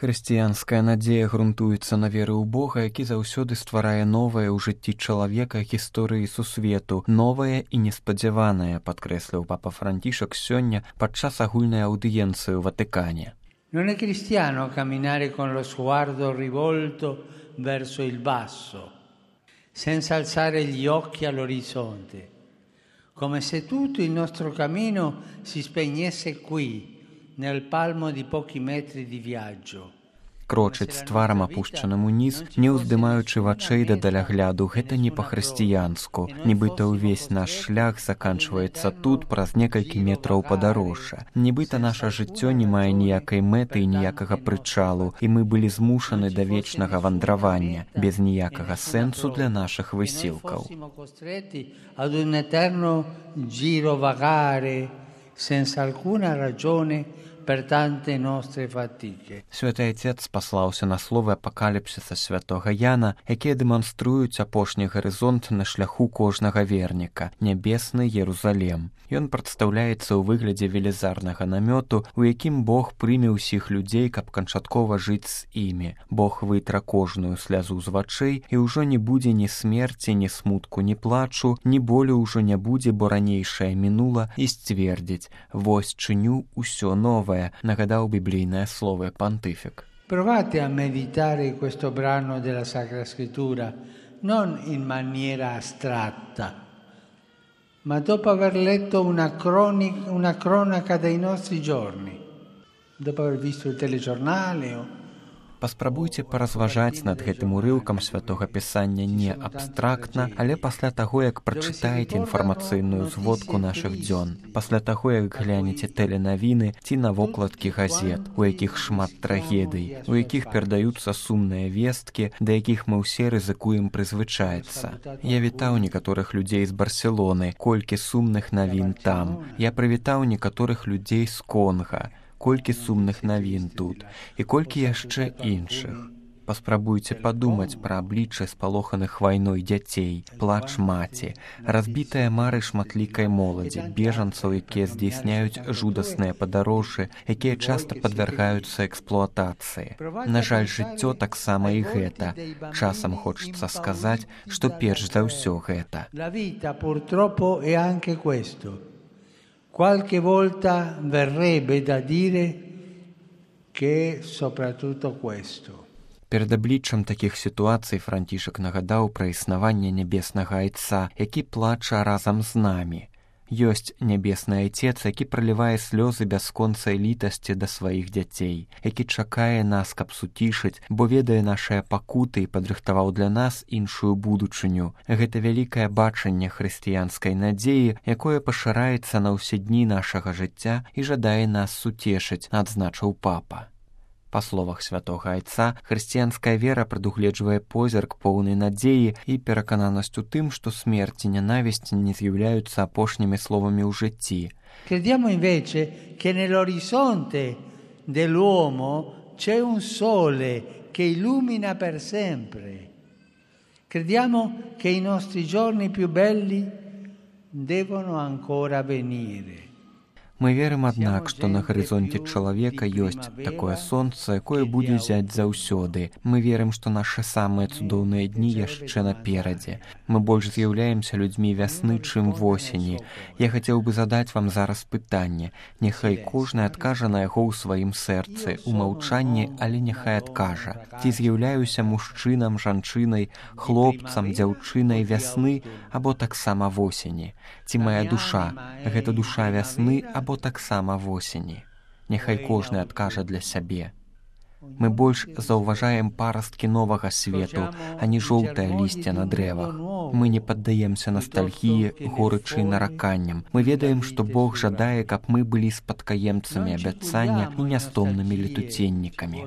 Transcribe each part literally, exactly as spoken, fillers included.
Хрысціянская надзея грунтуецца на веры ў Бога, які заўсёды стварае новае ў жыцці чалавека гісторыі сусвету, новае і неспадзяванае, падкрэсліў папа Францішак сёння падчас агульнай аўдыенцыі ў Ватыкане. Non è cristiano camminare con lo sguardo rivolto verso il basso, senza alzare gli occhi all'orizzonte, come se tutto il nostro cammino si spegnesse qui, nel palmo di pochi metri di viaggio. Крочыць з тварам апушчаным уніз, не ўздымаючы вачэй да далягляду, гэта не па-хрысціянску. Нібыта ўвесь наш шлях заканчваецца тут праз некалькі метраў падарожжа. Нібыта наша жыццё не мае ніякай мэты і ніякага прычалу, і мы былі змушаны да вечнага вандравання, без ніякага сэнсу для нашых высілкаў. Senza alcuna ragione per tante nostre fatiche. Святы Отец паслаўся на словы апакаліпсіса святога Яна, якія дэманструюць апошні гарызонт на шляху кожнага верніка, нябесны Єрусалем. Ён прадстаўляецца ў выглядзе велізарнага намёту, у якім Бог прыме ўсіх людзей, каб канчаткова жыць з імі. Бог вытра кожную слязу з вачэй, і ўжо не будзе ні смерці, ні смутку, ні плачу, ні болю ўжо не будзе, бо ранейшае мінула, і сцвердзіць: «Вось чыню ўсё новае», нагадаў біблійнае слово пантыфік. Provate a meditare questo brano della Sacra Scrittura non in maniera astratta, ma dopo aver letto una, cronica, una cronaca dei nostri giorni, dopo aver visto il telegiornale o Паспрабуйце паразважаць над гэтым урыўкам святога пісання не абстрактна, але пасля таго, як прачытаеце інфармацыйную зводку нашых дзён, пасля таго, як глянеце тэленавіны ці на вокладкі газет, у якіх шмат трагедый, у якіх перадаюцца сумныя весткі, да якіх мы ўсе рызыкуем прызвычаецца. Я вітаў некаторых людзей з Барселоны, колькі сумных навін там. Я прывітаў некаторых людзей з Конга, колькі сумных навін тут, і колькі яшчэ іншых. Паспрабуйце падумаць пра аблічча спалоханых вайной дзяцей, плач маці, разбітыя мары шматлікай моладзі, бежанцаў, якія здзейсняюць жудасныя падарожжы, якія часта падвяргаюцца эксплуатацыі. На жаль, жыццё таксама і гэта. Часам хочацца сказаць, што перш за ўсё гэта. La vita purtroppo è anche questo. Qualche volta verrebbe da dire che soprattutto questo. Перад абліччам такіх сітуацый Францішак нагадаў пра існаванне нябеснага Айца, які плача разам з намі. Ёсць нябесны Айцец, які пралівае слёзы бясконцай літасці да сваіх дзяцей, які чакае нас, каб суцішыць, бо ведае нашыя пакуты і падрыхтаваў для нас іншую будучыню. Гэта вялікае бачанне хрысціянскай надзеі, якое пашыраецца на ўсе дні нашага жыцця і жадае нас суцешыць, адзначыў папа. Па словах святога Айца, хрысціянская вера прадугледжвае позірк поўнай надзеі і перакананасць у тым, што смерць і нянавісць не з'яўляюцца апошнімі словамі ў жыцці. Crediamo invece che nell'orizzonte dell'uomo c'è un sole che illumina per sempre. Crediamo che i nostri giorni più belli devono ancora venire. Мы верым, аднак, што на гарызонце чалавека ёсць такое сонца, якое будзе зяць заўсёды. Мы верым, што нашы самыя цудоўныя дні яшчэ наперадзе. Мы больш з'яўляемся людзьмі вясны, чым восені. Я хацеў бы задаць вам зараз пытанне. Няхай кожны адкажа на яго ў сваім сэрцы, у маўчанні, але няхай адкажа. Ці з'яўляюся мужчынам, жанчынай, хлопцам, дзяўчынай вясны або таксама восені? Ці мая душа — гэта душа вясны або таксама восені? Няхай кожны адкажа для сябе. Мы больш заўважаем парасткі новага свету, а не жоўтае лісце на дрэвах. Мы не паддаемся ностальгіі, горычы і нараканням. Мы ведаем, што Бог жадае, каб мы былі спадкаемцамі абяцання і нястомнымі летуценнікамі.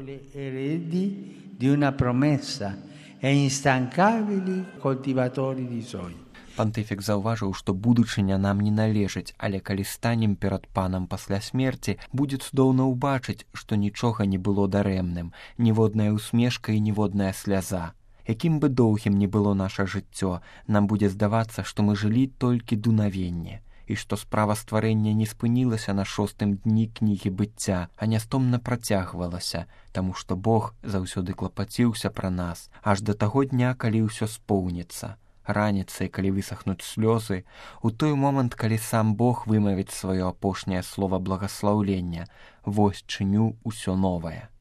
Пантыфік заўважыў, што будучыня нам не належыць, але калі станем перад панам пасля смерці, будзе цудоўна ўбачыць, што нічога не было дарэмным, ніводная усмешка і ніводная сляза. Якім бы доўгім не было наша жыццё, нам будзе здавацца, што мы жылі толькі дуновенне. і што справа стварэння не спынілася на шостым дні кнігі быцця, а нястомна працягвалася, таму што Бог заўсёды клапаціўся пра нас, аж да таго дня, калі ўсё споўніцца. Раніцай, калі высахнуць слёзы, у той момант, калі сам Бог вымавіць сваё апошняе слова благаслаўлення: «Вось чыню ўсё новае».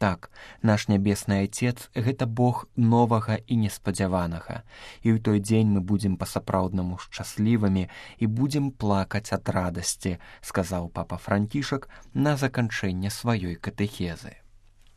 Так, наш нябесны Айцец — гэта Бог новага і неспадзяванага, і ў той дзень мы будзем па-сапраўднаму шчаслівымі і будзем плакаць ад радасці, сказаў папа Францішак на заканчэнне сваёй катэхезы.